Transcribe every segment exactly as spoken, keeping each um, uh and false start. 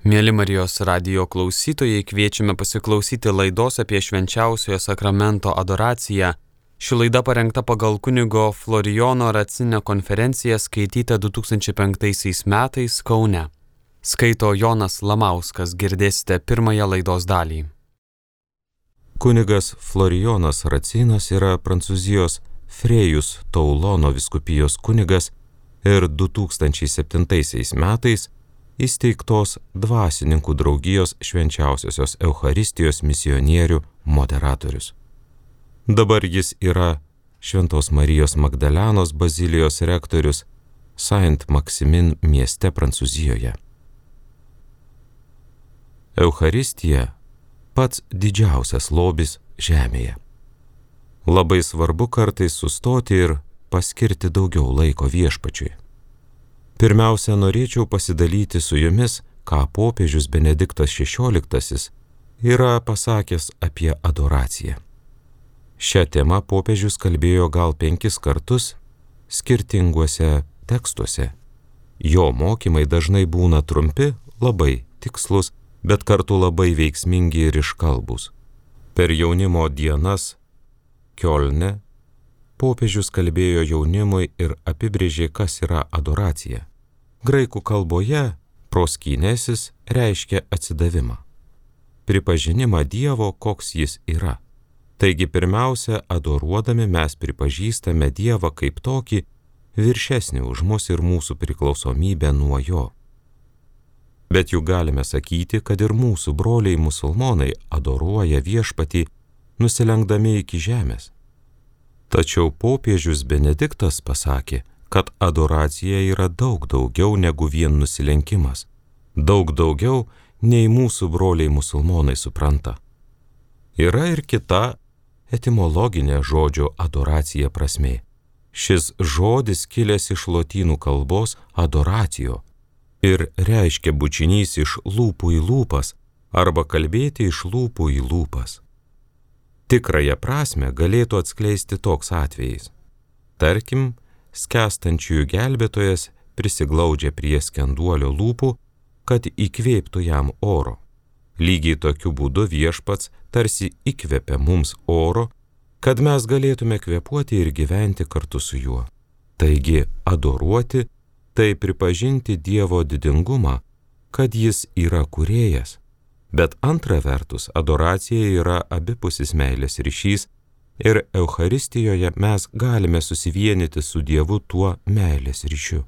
Mieli Marijos radijo klausytojai, kviečiame pasiklausyti laidos apie švenčiausiojo sakramento adoraciją. Ši laida parengta pagal kunigo Florijono Racinio konferenciją skaitytą du tūkstančiai penktaisiais metais Kaune. Skaito Jonas Lamauskas, girdėsite pirmąją laidos dalį. Kunigas Florijonas Racinas yra Prancūzijos Frejus Toulono vyskupijos kunigas ir du tūkstančiai septintaisiais metais įsteigtos dvasininkų draugijos švenčiausiosios Eucharistijos misionierių moderatorius. Dabar jis yra Šventos Marijos Magdalenos bazilijos rektorius Saint-Maximin mieste Prancūzijoje. Eucharistija pats didžiausias lobis žemėje. Labai svarbu kartais sustoti ir paskirti daugiau laiko viešpačiui. Pirmiausia, norėčiau pasidalyti su jumis, ką popiežius Benediktas šešioliktasis yra pasakęs apie adoraciją. Šią temą popiežius kalbėjo gal penkis kartus skirtinguose tekstuose. Jo mokymai dažnai būna trumpi, labai tikslus, bet kartu labai veiksmingi ir iškalbūs. Per jaunimo dienas Kiolne popiežius kalbėjo jaunimui ir apibrėžė, kas yra adoracija. Graikų kalboje proskinesis reiškia atsidavimą, pripažinimą Dievo, koks jis yra. Taigi pirmiausia, adoruodami mes pripažįstame Dievą kaip tokį viršesnį už mus ir mūsų priklausomybę nuo jo. Bet juk galime sakyti, kad ir mūsų broliai musulmonai adoruoja viešpatį, nusilenkdami iki žemės. Tačiau popiežius Benediktas pasakė, kad adoracija yra daug daugiau negu vien nusilenkimas, daug daugiau nei mūsų broliai musulmonai supranta. Yra ir kita etimologinė žodžio adoracija prasmė. Šis žodis kilęs iš lotynų kalbos adoratio ir reiškia bučinys iš lūpų į lūpas arba kalbėti iš lūpų į lūpas. Tikrąją prasmę galėtų atskleisti toks atvejis. Tarkim, skęstančiųjų gelbėtojas prisiglaudžia prie skenduolio lūpų, kad įkvėptų jam oro. Lygiai tokiu būdu viešpats tarsi įkvepia mums oro, kad mes galėtume kvėpuoti ir gyventi kartu su juo. Taigi, adoruoti tai pripažinti Dievo didingumą, kad jis yra kūrėjas. Bet antra vertus, adoracija yra abipusis meilės ryšys ir Eucharistijoje mes galime susivienyti su Dievu tuo meilės ryšiu.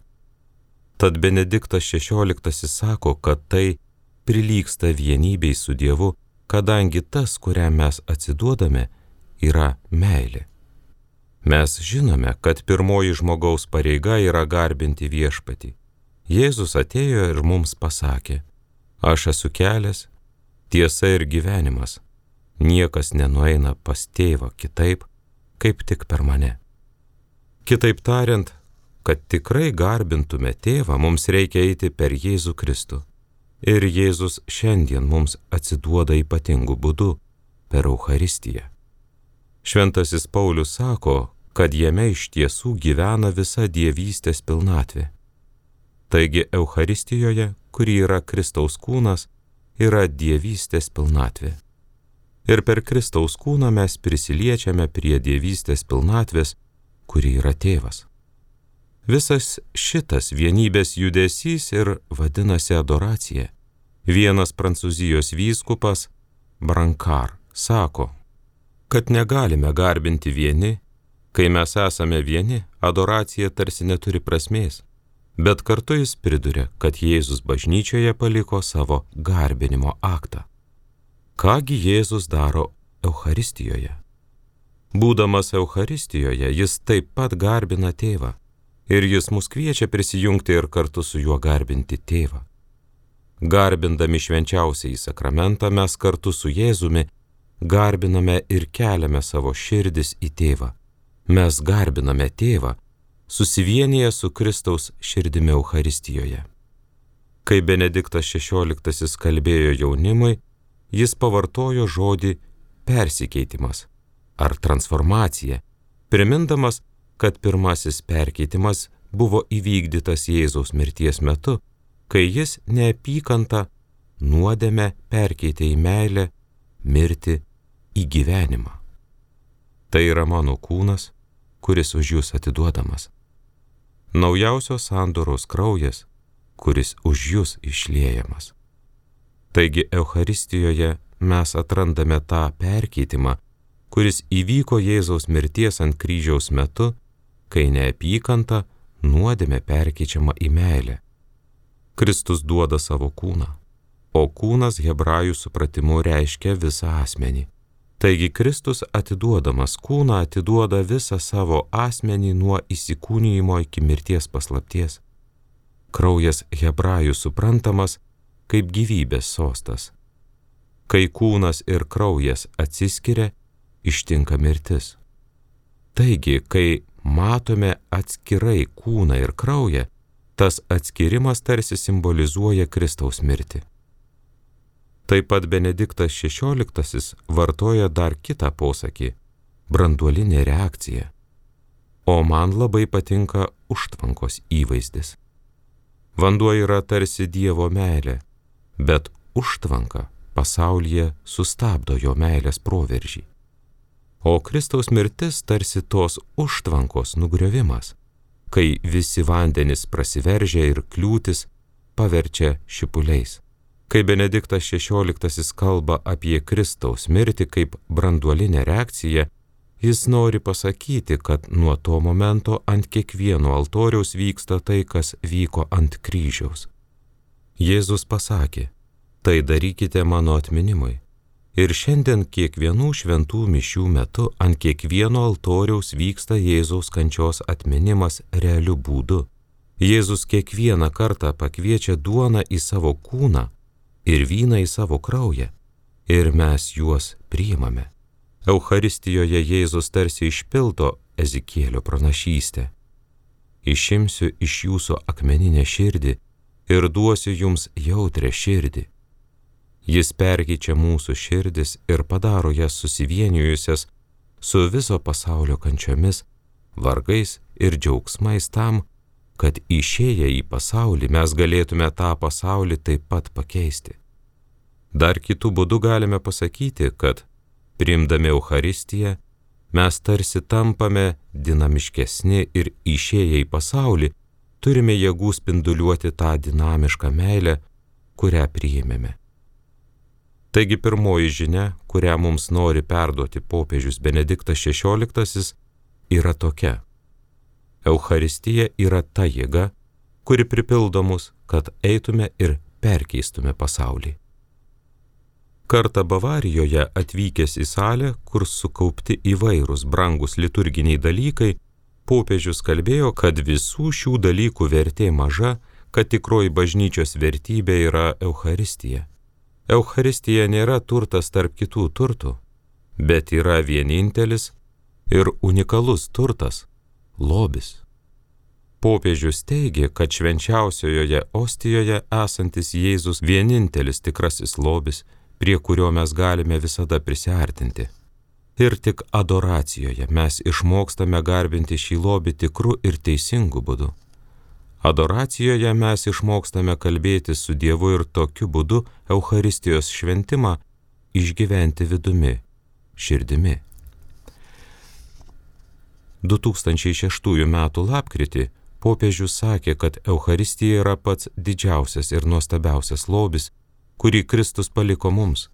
Tad Benediktas šešioliktasis sako, kad tai prilygsta vienybei su Dievu, kadangi tas, kuriam mes atsiduodame, yra meilė. Mes žinome, kad pirmoji žmogaus pareiga yra garbinti viešpatį. Jėzus atėjo ir mums pasakė: aš esu kelias, tiesa ir gyvenimas. Niekas nenueina pas tėvą kitaip, kaip tik per mane. Kitaip tariant, kad tikrai garbintume tėvą, mums reikia eiti per Jėzų Kristų. Ir Jėzus šiandien mums atsiduoda ypatingu būdu per Eucharistiją. Šventasis Paulius sako, kad jame iš tiesų gyvena visa dievystės pilnatvė. Taigi Eucharistijoje, kuri yra Kristaus kūnas, yra dievystės pilnatvė. Ir per Kristaus kūną mes prisiliečiame prie dievystės pilnatvės, kuri yra tėvas. Visas šitas vienybės judesys ir vadinasi adoracija. Vienas Prancūzijos vyskupas, Brancard, sako, kad negalime garbinti vieni, kai mes esame vieni, adoracija tarsi neturi prasmės. Bet kartu jis priduria, kad Jėzus bažnyčioje paliko savo garbinimo aktą. Kągi Jėzus daro Eucharistijoje? Būdamas Eucharistijoje, jis taip pat garbina tėvą. Ir jis mus kviečia prisijungti ir kartu su juo garbinti tėvą. Garbindami švenčiausiąjį sakramentą mes kartu su Jėzumi garbiname ir keliame savo širdis į tėvą. Mes garbiname tėvą, susivienyje su Kristaus širdimi Eucharistijoje. Kai Benediktas šešioliktasis kalbėjo jaunimui, jis pavartojo žodį persikeitimas ar transformacija, primindamas, kad pirmasis perkeitimas buvo įvykdytas Jėzaus mirties metu, kai jis neapykantą nuodėmę perkeitė į meilę, mirtį į gyvenimą. Tai yra mano kūnas, kuris už jūs atiduodamas. Naujausios sandoros kraujas, kuris už jūs išliejamas. Taigi Eucharistijoje mes atrandame tą perkeitimą, kuris įvyko Jėzaus mirties ant kryžiaus metu, kai neapykanta nuodėmė perkeičiama į meilę. Kristus duoda savo kūną, o kūnas hebrajų supratimu reiškia visą asmenį. Taigi Kristus atiduodamas kūną atiduoda visą savo asmenį nuo įsikūnijimo iki mirties paslapties. Kraujas hebrajų suprantamas kaip gyvybės sostas. Kai kūnas ir kraujas atsiskiria, ištinka mirtis. Taigi, kai matome atskirai kūną ir kraują, tas atskirimas tarsi simbolizuoja Kristaus mirtį. Taip pat Benediktas šešioliktasis vartoja dar kitą posakį – branduolinė reakcija. O man labai patinka užtvankos įvaizdis. Vanduo yra tarsi Dievo meilė, bet užtvanka pasaulyje sustabdo jo meilės proveržį. O Kristaus mirtis tarsi tos užtvankos nugriovimas, kai visi vandenys prasiveržia ir kliūtis paverčia šipuliais. Kai Benediktas šešioliktasis kalba apie Kristaus mirtį kaip branduolinę reakciją, jis nori pasakyti, kad nuo to momento ant kiekvieno altoriaus vyksta tai, kas vyko ant kryžiaus. Jėzus pasakė, tai darykite mano atminimui. Ir šiandien kiekvienų šventų mišių metu ant kiekvieno altoriaus vyksta Jėzaus kančios atminimas realiu būdu. Jėzus kiekvieną kartą pakviečia duoną į savo kūną ir vyną į savo kraują, ir mes juos priimame. Eucharistijoje Jėzus tarsi išpildo Ezekielio pranašystę. Išimsiu iš jūsų akmeninę širdį ir duosiu jums jautrią širdį. Jis perkeičia mūsų širdis ir padaro jas susivienijusias su viso pasaulio kančiomis, vargais ir džiaugsmais tam, kad išėję į pasaulį mes galėtume tą pasaulį taip pat pakeisti. Dar kitų būdų galime pasakyti, kad priimdami Eucharistiją mes tarsi tampame dinamiškesni ir išėję į pasaulį turime jėgų spinduliuoti tą dinamišką meilę, kurią priėmėme. Taigi pirmoji žinia, kurią mums nori perduoti popiežius Benediktas šešioliktasis, yra tokia. Eucharistija yra ta jėga, kuri pripildo mus, kad eitume ir perkeistume pasaulį. Kartą Bavarijoje atvykęs į salę, kur sukaupti įvairūs brangus liturginiai dalykai, popiežius kalbėjo, kad visų šių dalykų vertė maža, kad tikroji bažnyčios vertybė yra Eucharistija. Eucharistija nėra turtas tarp kitų turtų, bet yra vienintelis ir unikalus turtas – lobis. Popiežius teigia, kad švenčiausiojoje ostijoje esantis Jėzus vienintelis tikrasis lobis, prie kurio mes galime visada prisiartinti. Ir tik adoracijoje mes išmokstame garbinti šį lobį tikru ir teisingu būdu. Adoracijoje mes išmokstame kalbėti su Dievu ir tokiu būdu Eucharistijos šventimą išgyventi vidumi, širdimi. du tūkstančiai šeštųjų metų lapkritį popiežius sakė, kad Eucharistija yra pats didžiausias ir nuostabiausias lobis, kurį Kristus paliko mums.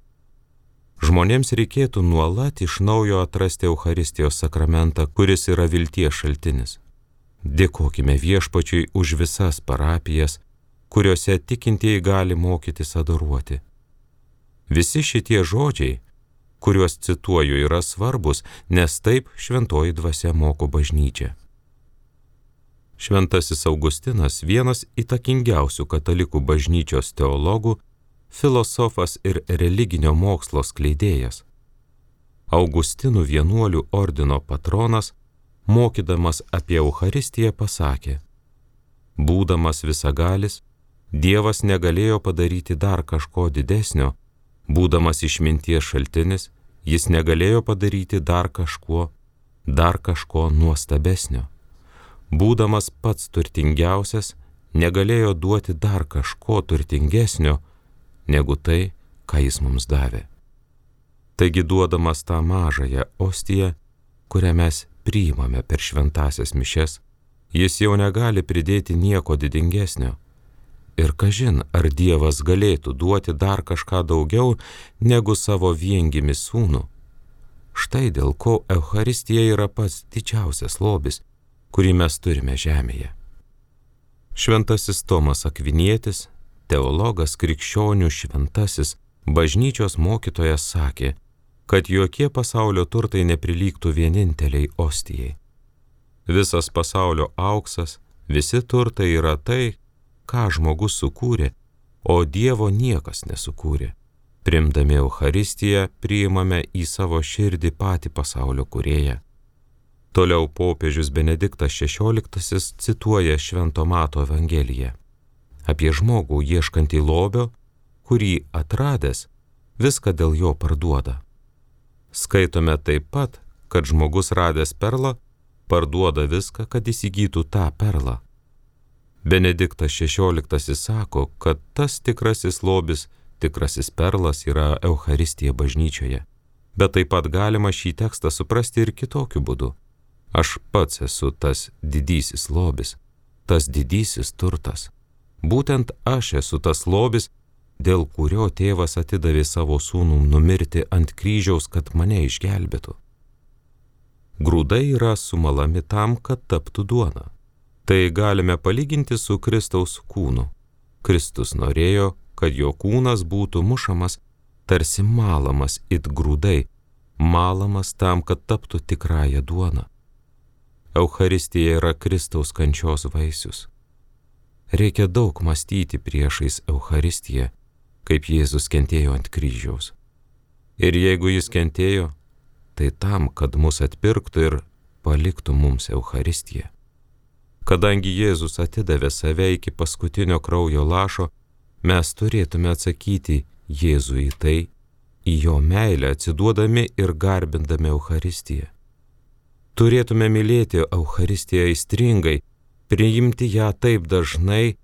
Žmonėms reikėtų nuolat iš naujo atrasti Eucharistijos sakramentą, kuris yra vilties šaltinis. Dėkokime Viešpačiui už visas parapijas, kuriuose tikintieji gali mokytis adoruoti. Visi šitie žodžiai, kuriuos cituoju, yra svarbus, nes taip šventoji dvasia moko bažnyčią. Šventasis Augustinas, vienas įtakingiausių katalikų bažnyčios teologų, filosofas ir religinio mokslo skleidėjas. Augustinų vienuolių ordino patronas, mokydamas apie Eucharistiją, pasakė: būdamas visagalis, Dievas negalėjo padaryti dar kažko didesnio, būdamas išminties šaltinis, jis negalėjo padaryti dar kažko, dar kažko nuostabesnio. Būdamas pats turtingiausias, negalėjo duoti dar kažko turtingesnio, negu tai, ką jis mums davė. Taigi duodamas tą mažąją ostiją, kurią mes priimame per šventasias mišes, jis jau negali pridėti nieko didingesnio. Ir kažin, ar Dievas galėtų duoti dar kažką daugiau negu savo viengimį sūnų. Štai dėl ko Eucharistija yra pats didžiausias lobis, kurį mes turime žemėje. Šventasis Tomas Akvinietis, teologas, krikščionių šventasis, bažnyčios mokytojas sakė, kad jokie pasaulio turtai neprilygtų vieninteliai ostijai. Visas pasaulio auksas, visi turtai yra tai, ką žmogus sukūrė, o Dievo niekas nesukūrė. Primdami Eucharistiją priimame į savo širdį patį pasaulio kūrėją. Toliau popiežius Benediktas šešioliktasis cituoja Švento Mato Evangeliją apie žmogų ieškantį lobio, kurį atradęs viską dėl jo parduoda. Skaitome taip pat, kad žmogus radęs perlą parduoda viską, kad įsigytų tą perlą. Benediktas šešioliktasis sako, kad tas tikrasis lobis, tikrasis perlas yra Eucharistija bažnyčioje. Bet taip pat galima šį tekstą suprasti ir kitokiu būdu. Aš pats esu tas didysis lobis, tas didysis turtas. Būtent aš esu tas lobis, dėl kurio tėvas atidavė savo sūnų numirti ant kryžiaus, kad mane išgelbėtų. Grūdai yra sumalami tam, kad taptų duona. Tai galime palyginti su Kristaus kūnu. Kristus norėjo, kad jo kūnas būtų mušamas, tarsi malamas it grūdai, malamas tam, kad taptų tikrąją duoną. Eucharistija yra Kristaus kančios vaisius. Reikia daug mąstyti priešais Eucharistiją, kaip Jėzus kentėjo ant kryžiaus. Ir jeigu jis kentėjo, tai tam, kad mus atpirktų ir paliktų mums Eucharistiją. Kadangi Jėzus atidavė save iki paskutinio kraujo lašo, mes turėtume atsakyti Jėzui į tai, į jo meilę atsiduodami ir garbindami Eucharistiją. Turėtume mylėti Eucharistiją aistringai, priimti ją taip dažnai,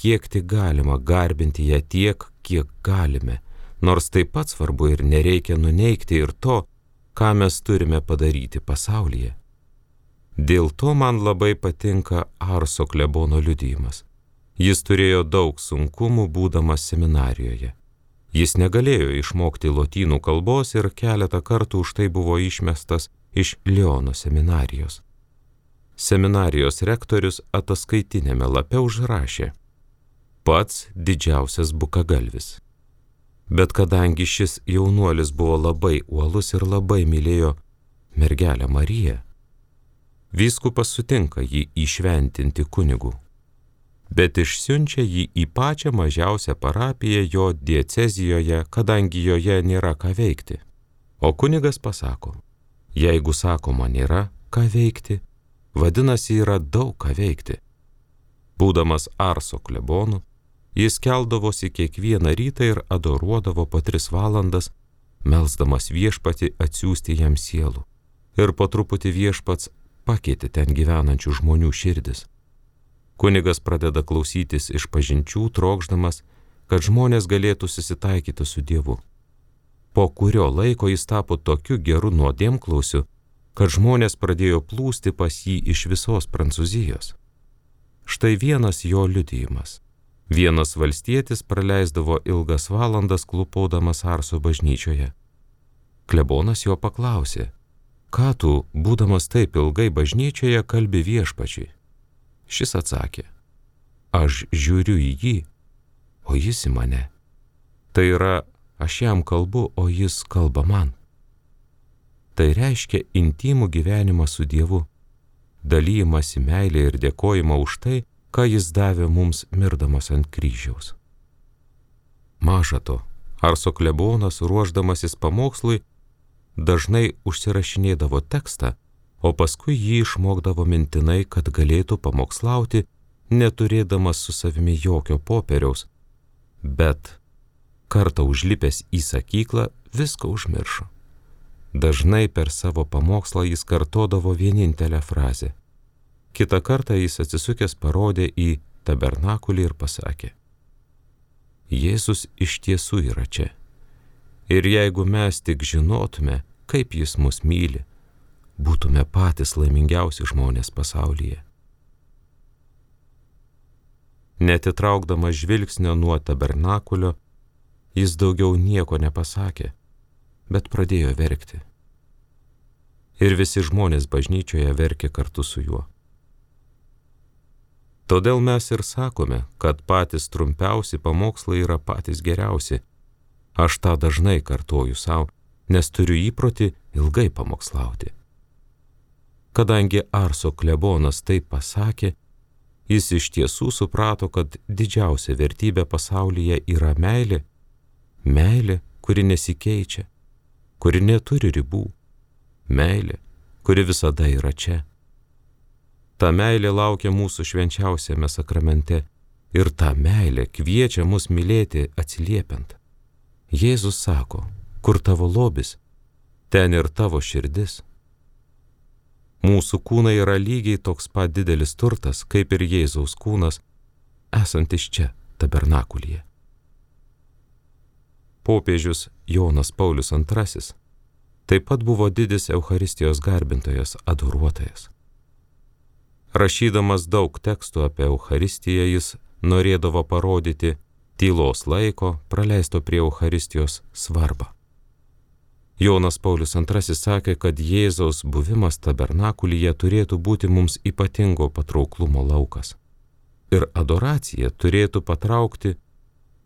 kiek tik galima, garbinti ją tiek, kiek galime, nors taip pat svarbu ir nereikia nuneigti ir to, ką mes turime padaryti pasaulyje. Dėl to man labai patinka Arso klebono liudijimas. Jis turėjo daug sunkumų būdamas seminarijoje. Jis negalėjo išmokti lotynų kalbos ir keletą kartų už tai buvo išmestas iš Liono seminarijos. Seminarijos rektorius ataskaitinėme lape užrašė: pats didžiausias bukagalvis. Bet kadangi šis jaunuolis buvo labai uolus ir labai mylėjo mergelę Mariją, vyskupas sutinka jį įšventinti kunigu, bet išsiunčia jį į pačią mažiausią parapiją jo diecezijoje, kadangi joje nėra ką veikti. O kunigas pasako: jeigu sakoma nėra ką veikti, vadinasi yra daug ką veikti. Būdamas Arso klebonu, jis keldavosi kiekvieną rytą ir adoruodavo po tris valandas, melsdamas viešpatį atsiųsti jam sielų. Ir po truputį viešpats pakeitė ten gyvenančių žmonių širdis. Kunigas pradeda klausytis išpažinčių, trokšdamas, kad žmonės galėtų susitaikyti su Dievu. Po kurio laiko jis tapo tokiu geru nuodėmklausiu, kad žmonės pradėjo plūsti pas jį iš visos Prancūzijos. Štai vienas jo liudijimas. Vienas valstietis praleisdavo ilgas valandas klūpodamas Arso bažnyčioje. Klebonas jo paklausė: ką tu, būdamas taip ilgai bažnyčioje, kalbi viešpačiui? Šis atsakė: aš žiūriu į jį, o jis į mane. Tai yra, aš jam kalbu, o jis kalba man. Tai reiškia intimų gyvenimą su Dievu, dalyjimąsi meilę ir dėkojimą už tai, ką jis davė mums mirdamas ant kryžiaus. Maža to, Arso klebonas, ruošdamasis pamokslui, dažnai užsirašinėdavo tekstą, o paskui jį išmokdavo mintinai, kad galėtų pamokslauti, neturėdamas su savimi jokio popieriaus, bet kartą užlipęs į sakyklą viską užmiršo. Dažnai per savo pamokslą jis kartodavo vienintelę frazę. Kitą kartą jis atsisukęs parodė į tabernakulį ir pasakė: Jėzus iš tiesų yra čia. Ir jeigu mes tik žinotume, kaip jis mus myli, būtume patys laimingiausi žmonės pasaulyje. Netitraukdamas žvilgsnio nuo tabernakulio, jis daugiau nieko nepasakė, bet pradėjo verkti. Ir visi žmonės bažnyčioje verkė kartu su juo. Todėl mes ir sakome, kad patys trumpiausi pamokslai yra patys geriausi. Aš tą dažnai kartoju savo, nes turiu įprotį ilgai pamokslauti. Kadangi Arso klebonas taip pasakė, jis iš tiesų suprato, kad didžiausia vertybė pasaulyje yra meilė, meilė, kuri nesikeičia, kuri neturi ribų, meilė, kuri visada yra čia. Ta meilė laukia mūsų švenčiausiame sakramente ir ta meilė kviečia mus mylėti atsiliepiant. Jėzus sako, kur tavo lobis, ten ir tavo širdis. Mūsų kūnai yra lygiai toks pat didelis turtas, kaip ir Jėzaus kūnas, esantis čia, tabernakulyje. Popiežius Jonas Paulius antrasis taip pat buvo didis Eucharistijos garbintojas, adoruotojas. Rašydamas daug tekstų apie Eucharistiją, jis norėdavo parodyti tylos laiko, praleisto prie Eucharistijos svarbą. Jonas Paulius antrasis sakė, kad Jėzaus buvimas tabernakulyje turėtų būti mums ypatingo patrauklumo laukas. Ir adoracija turėtų patraukti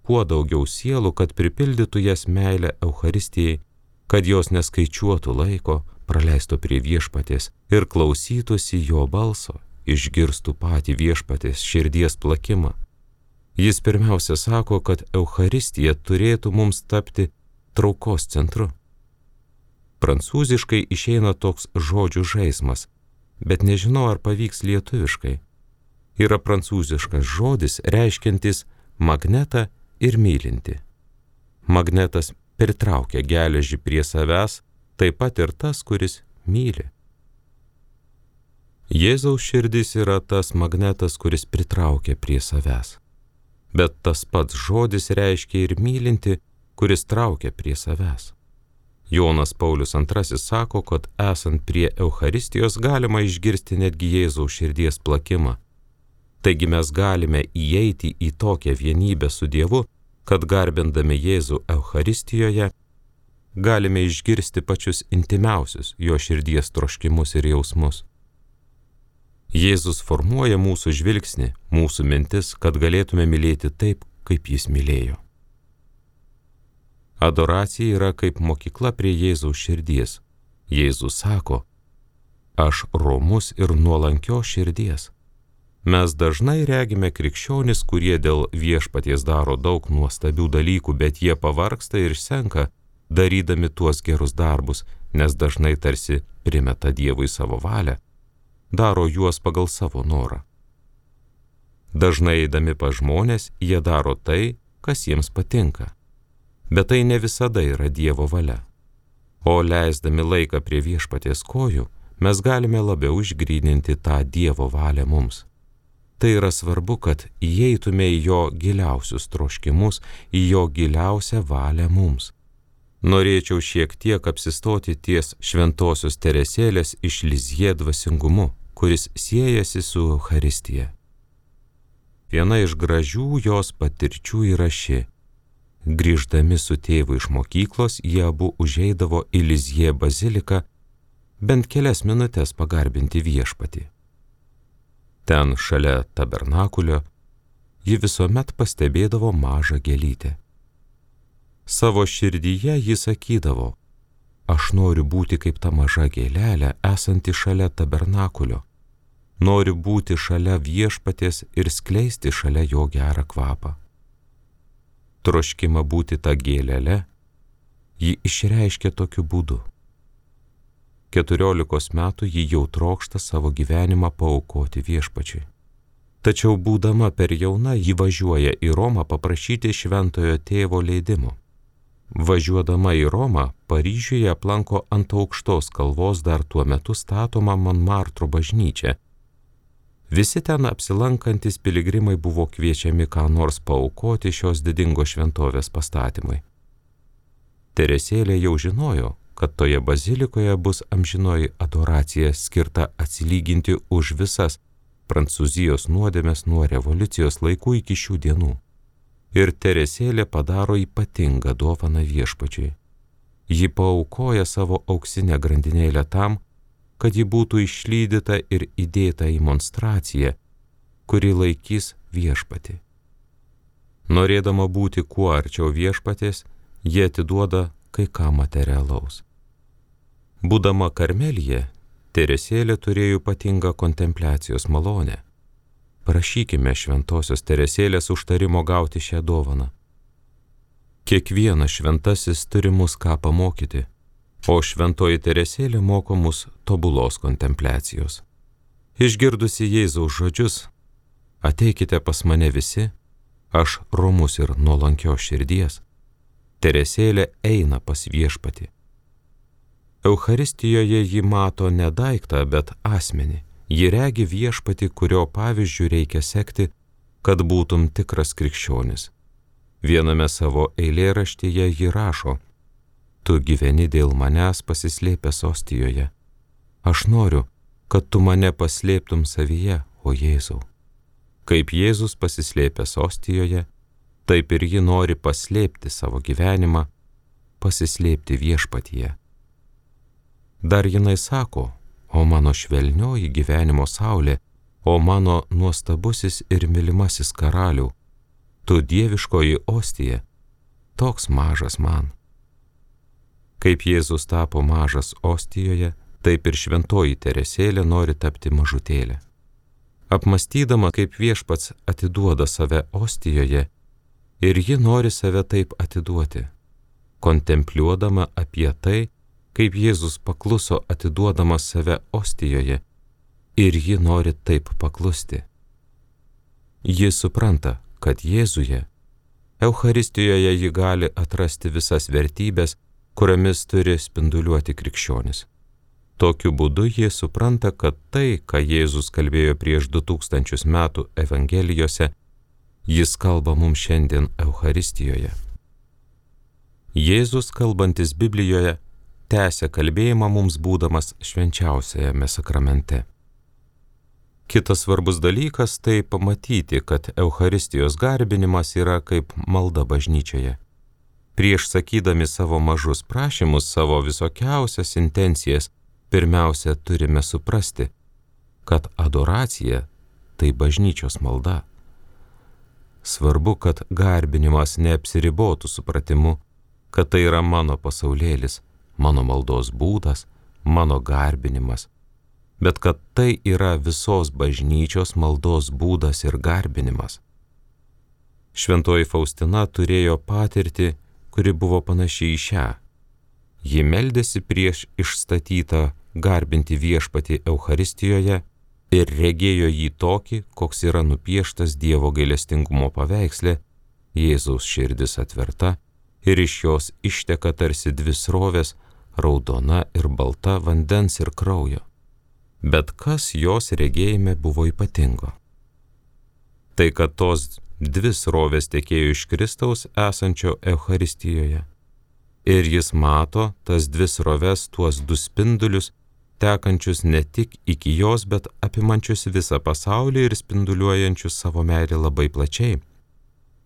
kuo daugiau sielų, kad pripildytų jas meilę Eucharistijai, kad jos neskaičiuotų laiko, praleisto prie viešpaties ir klausytųsi jo balso, išgirstų patį viešpaties širdies plakimą. Jis pirmiausia sako, kad Eucharistija turėtų mums tapti traukos centru. Prancūziškai išeina toks žodžių žaismas, bet nežinau, ar pavyks lietuviškai. Yra prancūziškas žodis reiškiantis magnetą ir mylinti. Magnetas pritraukia geležį prie savęs, taip pat ir tas, kuris myli. Jėzaus širdis yra tas magnetas, kuris pritraukia prie savęs. Bet tas pats žodis reiškia ir mylinti, kuris traukia prie savęs. Jonas Paulius antrasis sako, kad esant prie Eucharistijos galima išgirsti netgi Jėzaus širdies plakimą. Taigi mes galime įeiti į tokią vienybę su Dievu, kad garbindami Jėzų Eucharistijoje galime išgirsti pačius intimiausius jo širdies troškimus ir jausmus. Jėzus formuoja mūsų žvilgsnį, mūsų mintis, kad galėtume mylėti taip, kaip jis mylėjo. Adoracija yra kaip mokykla prie Jėzaus širdies. Jėzus sako, aš romus ir nuolankios širdies. Mes dažnai regime krikščionis, kurie dėl viešpaties daro daug nuostabių dalykų, bet jie pavargsta ir senka, darydami tuos gerus darbus, nes dažnai tarsi primeta Dievui savo valią, daro juos pagal savo norą. Dažnai eidami pas žmonės, jie daro tai, kas jiems patinka. Bet tai ne visada yra Dievo valia. O leisdami laiką prie viešpaties kojų, mes galime labiau išgryninti tą Dievo valią mums. Tai yra svarbu, kad įeitume į jo giliausius troškimus, į jo giliausią valią mums. Norėčiau šiek tiek apsistoti ties šventosios Teresėlės iš Lizjė dvasingumu, kuris siejasi su Eucharistija. Viena iš gražių jos patirčių yra ši. Grįždami su tėvu iš mokyklos, jie abu užeidavo į Lizjė baziliką bent kelias minutės pagarbinti viešpatį. Ten šalia tabernakulio ji visuomet pastebėdavo mažą gėlytę. Savo širdyje ji sakydavo, aš noriu būti kaip ta maža gėlelė, esanti šalia tabernakulio. Noriu būti šalia viešpaties ir skleisti šalia jo gerą kvapą. Troškimą būti tą gėlelę ji išreiškia tokiu būdu. Keturiolikos metų ji jau trokšta savo gyvenimą paaukoti viešpačiui. Tačiau būdama per jauna ji važiuoja į Romą paprašyti šventojo tėvo leidimo. Važiuodama į Romą, Paryžiuje aplanko ant aukštos kalvos dar tuo metu statomą Monmartro bažnyčią Visi ten apsilankantis piligrimai buvo kviečiami ką nors paaukoti šios didingos šventovės pastatymui. Teresėlė jau žinojo, kad toje bazilikoje bus amžinoji adoracija skirta atsilyginti už visas Prancūzijos nuodėmes nuo revoliucijos laikų iki šių dienų. Ir Teresėlė padaro ypatingą dovaną viešpačiui. Ji paaukoja savo auksinę grandinėlę tam, kad ji būtų išlydyta ir įdėta į monstraciją, kuri laikys viešpatį. Norėdama būti kuo arčiau viešpatės, ji atiduoda kai ką materialaus. Būdama Karmelyje, Teresėlė turėjo ypatingą kontempliacijos malonę. Prašykime šventosios Teresėlės užtarimo gauti šią dovaną. Kiekvienas šventasis turi mus ką pamokyti, o šventoji Teresėlė moko mus tobulos kontempliacijos. Išgirdusi Jėzaus žodžius, ateikite pas mane visi, aš romus ir nuolankios širdies, Teresėlė eina pas viešpatį. Eucharistijoje ji mato ne daiktą, bet asmenį. Ji regi viešpatį, kurio pavyzdžių reikia sekti, kad būtum tikras krikščionis. Viename savo eilėraštyje ji rašo: tu gyveni dėl manęs pasislėpęs ostijoje. Aš noriu, kad tu mane paslėptum savyje, o Jėzau. Kaip Jėzus pasislėpęs ostijoje, taip ir ji nori paslėpti savo gyvenimą, pasislėpti viešpatyje. Dar jinai sako: o mano švelnioji gyvenimo saulė, o mano nuostabusis ir mylimasis karalių, tu dieviškoji ostija, toks mažas man. Kaip Jėzus tapo mažas ostijoje, taip ir šventoji Teresėlė nori tapti mažutėlė. Apmastydama, kaip viešpats atiduoda save ostijoje, ir ji nori save taip atiduoti, kontempliuodama apie tai, kaip Jėzus pakluso atiduodamas save ostijoje, ir ji nori taip paklusti. Ji supranta, kad Jėzuje, Eucharistijoje ji gali atrasti visas vertybės, kuriomis turi spinduliuoti krikščionis. Tokiu būdu ji supranta, kad tai, ką Jėzus kalbėjo prieš du tūkstančius metų Evangelijose, jis kalba mums šiandien Eucharistijoje. Jėzus, kalbantis Biblijoje, tęsia kalbėjimą mums būdamas švenčiausiajame sakramente. Kitas svarbus dalykas tai pamatyti, kad Eucharistijos garbinimas yra kaip malda bažnyčioje. Prieš sakydami savo mažus prašymus, savo visokiausias intencijas, pirmiausia turime suprasti, kad adoracija tai bažnyčios malda. Svarbu, kad garbinimas neapsiribotų supratimu, kad tai yra mano pasaulėlis, mano maldos būdas, mano garbinimas, bet kad tai yra visos bažnyčios maldos būdas ir garbinimas. Šventoji Faustina turėjo patirtį, kuri buvo panaši į šią. Ji meldėsi prieš išstatytą garbinti viešpatį Eucharistijoje ir regėjo jį tokį, koks yra nupieštas Dievo gailestingumo paveiksle, Jėzaus širdis atverta ir iš jos išteka tarsi dvi srovės, raudona ir balta vandens ir kraujo. Bet kas jos regėjime buvo ypatingo? Tai, kad tos dvi srovės tekėjo iš Kristaus esančio Eucharistijoje. Ir jis mato tas dvi sroves, tuos du spindulius, tekančius ne tik iki jos, bet apimančius visą pasaulį ir spinduliuojančius savo meilę labai plačiai.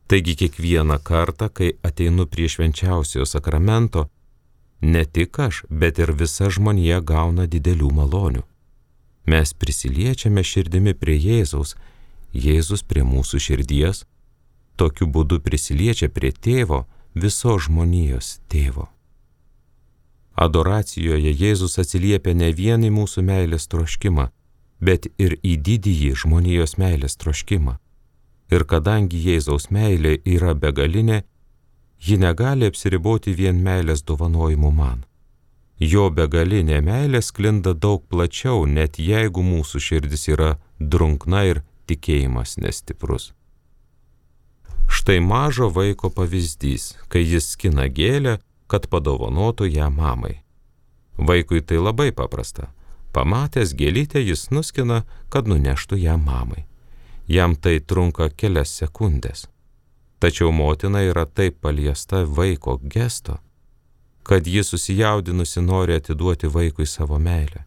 Taigi kiekvieną kartą, kai ateinu prie švenčiausiojo sakramento, ne tik aš, bet ir visa žmonija gauna didelių malonių. Mes prisiliečiame širdimi prie Jėzaus, Jėzus prie mūsų širdies, tokiu būdu prisiliečia prie tėvo, visos žmonijos tėvo. Adoracijoje Jėzus atsiliepia ne vien į mūsų meilės troškimą, bet ir į didįjį žmonijos meilės troškimą. Ir kadangi Jėzaus meilė yra begalinė, ji negali apsiriboti vien meilės dovanojimu man. Jo begalinė meilė sklinda daug plačiau, net jeigu mūsų širdis yra drunkna ir tikėjimas nestiprus. Štai mažo vaiko pavyzdys, kai jis skina gėlę, kad padovanotų ją mamai. Vaikui tai labai paprasta. Pamatęs gėlytę, jis nuskina, kad nuneštų ją mamai. Jam tai trunka kelias sekundės. Tačiau motina yra taip paliesta vaiko gesto, kad ji susijaudinusi nori atiduoti vaikui savo meilę.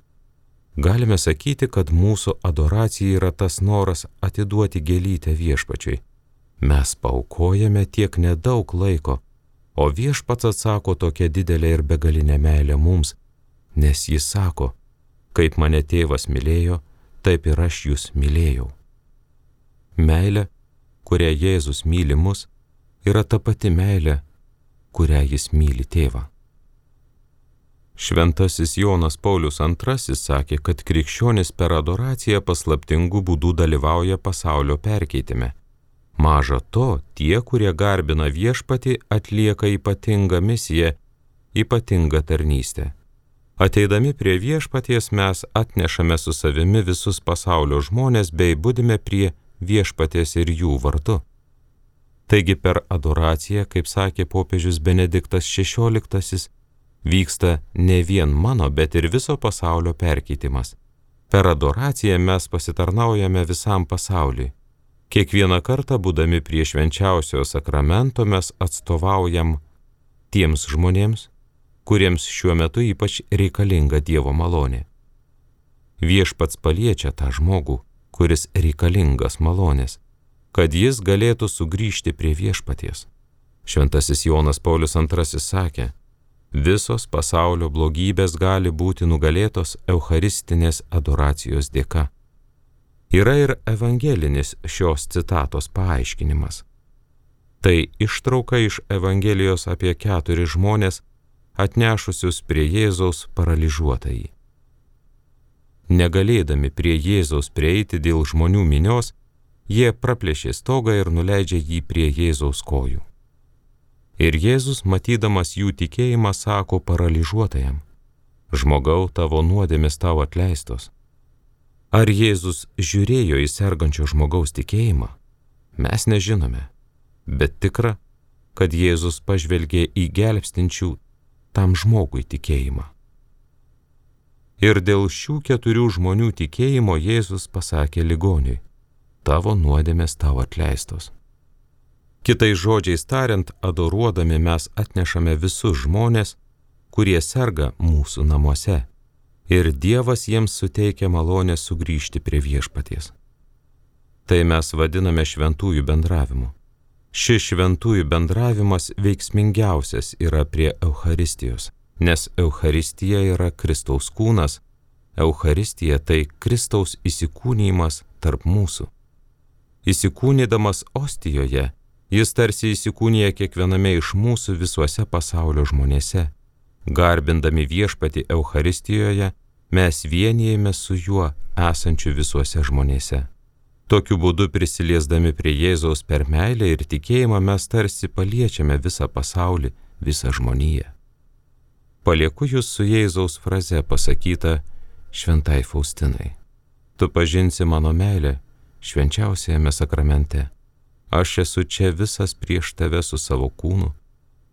Galime sakyti, kad mūsų adoracija yra tas noras atiduoti gėlytę Viešpačiui. Mes paaukojame tiek nedaug laiko, o Viešpats atsako tokia didelė ir begalinė meilė mums, nes jis sako, kaip mane tėvas mylėjo, taip ir aš jūs mylėjau. Meilė, kurią Jėzus myli mus, yra ta pati meilė, kurią jis myli tėvą. Šventasis Jonas Paulius antrasis sakė, kad krikščionis per adoraciją paslaptingų būdų dalyvauja pasaulio perkeitime. Maža to, tie, kurie garbina Viešpatį, atlieka ypatingą misiją, ypatingą tarnystę. Ateidami prie Viešpaties mes atnešame su savimi visus pasaulio žmonės bei budime prie Viešpaties ir jų vardu. Taigi per adoraciją, kaip sakė popiežius Benediktas šešioliktasis, vyksta ne vien mano, bet ir viso pasaulio perkeitimas. Per adoraciją mes pasitarnaujame visam pasauliui. Kiekvieną kartą, būdami prie švenčiausiojo sakramento, mes atstovaujam tiems žmonėms, kuriems šiuo metu ypač reikalinga Dievo malonė. Viešpats paliečia tą žmogų, kuris reikalingas malonės, kad jis galėtų sugrįžti prie Viešpaties. Šventasis Jonas Paulius antrasis sakė, visos pasaulio blogybės gali būti nugalėtos eucharistinės adoracijos dėka. Yra ir evangelinis šios citatos paaiškinimas. Tai ištrauka iš Evangelijos apie keturis žmonės, atnešusius prie Jėzaus paralyžiuotąjį. Negalėdami prie Jėzaus prieiti dėl žmonių minios, jie praplėšė stogą ir nuleidžia jį prie Jėzaus kojų. Ir Jėzus, matydamas jų tikėjimą, sako paralyžiuotajam, žmogau, tavo nuodėmės tau atleistos. Ar Jėzus žiūrėjo į sergančio žmogaus tikėjimą? Mes nežinome, bet tikra, kad Jėzus pažvelgė į gelbstinčių tam žmogui tikėjimą. Ir dėl šių keturių žmonių tikėjimo Jėzus pasakė ligoniui, tavo nuodėmės tau atleistos. Kitais žodžiais tariant, adoruodami mes atnešame visus žmonės, kurie serga mūsų namuose, ir Dievas jiems suteikia malonę sugrįžti prie Viešpaties. Tai mes vadiname šventųjų bendravimu. Šis šventųjų bendravimas veiksmingiausias yra prie Eucharistijos, nes Eucharistija yra Kristaus kūnas, Eucharistija tai Kristaus įsikūnijimas tarp mūsų. Įsikūnydamas ostijoje, jis tarsi įsikūnija kiekviename iš mūsų visuose pasaulio žmonėse. Garbindami Viešpatį Eucharistijoje, mes vienijame su juo esančiu visuose žmonėse. Tokiu būdu prisiliesdami prie Jėzaus per meilę ir tikėjimą mes tarsi paliečiame visą pasaulį, visą žmoniją. Palieku jūs su Jėzaus fraze pasakyta šventai Faustinai. Tu pažinsi mano meilę švenčiausiajame sakramente. Aš esu čia visas prieš tave su savo kūnu,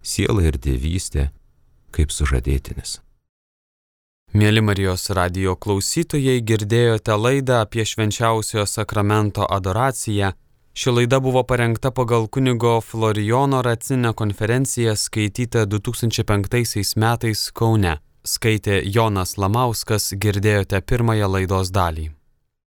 siela ir dievystė, kaip sužadėtinis. Mieli Marijos radijo klausytojai, girdėjote laidą apie švenčiausiojo sakramento adoraciją. Ši laida buvo parengta pagal kunigo Florijono Racinę konferenciją skaitytą du tūkstančiai penktaisiais metais Kaune. Skaitė Jonas Lamauskas, girdėjote pirmąją laidos dalį.